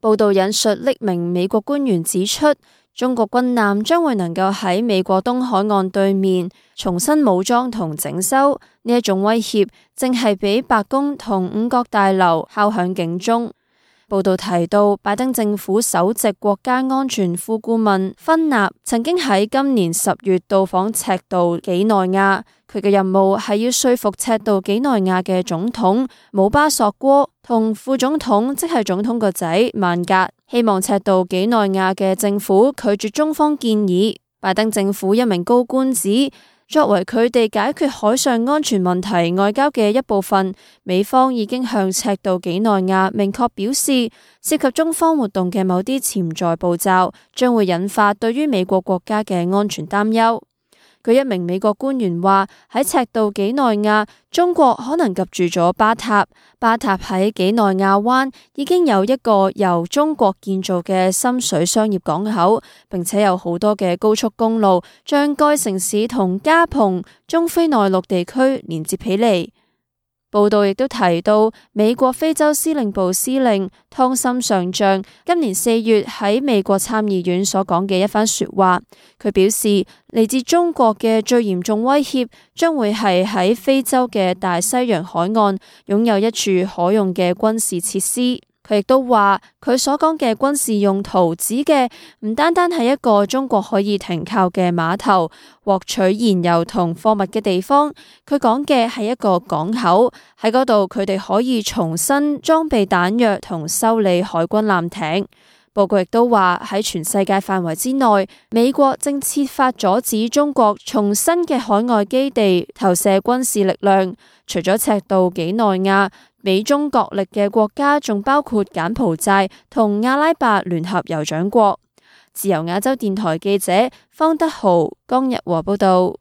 報道引述匿名美國官員指出，中國軍艦將會能夠喺美國東海岸對面重新武裝同整修，呢一種威脅正係俾白宮同五角大樓敲響警鐘。報道提到，拜登政府首席國家安全副顧問芬納曾經喺今年10月到訪赤道幾內亞，佢嘅任務係要說服赤道幾內亞嘅總統姆巴索戈同副總統，即係總統個仔曼格，希望赤道幾內亞嘅政府拒絕中方建議。拜登政府一名高官指，作為佢哋解決海上安全問題外交嘅一部分，美方已經向赤道幾內亞明確表示，涉及中方活動嘅某啲潛在步驟將會引發對於美國國家嘅安全擔憂。據一名美國官員話，喺赤道幾內亞，中國可能及住咗巴塔。巴塔喺幾內亞灣已經有一個由中國建造嘅深水商業港口，並且有好多嘅高速公路將該城市同加蓬、中非內陸地區連接起嚟。報道亦都提到，美國非洲司令部司令湯森上將今年4月喺美國參議院所講嘅一番說話。佢表示，嚟自中國嘅最嚴重威脅將會係喺非洲嘅大西洋海岸擁有一處可用嘅軍事設施。佢亦都話，佢所講嘅軍事用途指嘅唔單單係一個中國可以停靠嘅碼頭、獲取燃油同貨物嘅地方，佢講嘅係一個港口，喺嗰度佢哋可以重新裝備彈藥同修理海軍艦艇。報告亦都話，喺全世界範圍之內，美國正設法阻止中國從新嘅海外基地投射軍事力量。除咗赤道幾內亞，美中角力嘅國家仲包括柬埔寨同阿拉伯聯合酋長國。自由亞洲電台記者方德豪、江日和報道。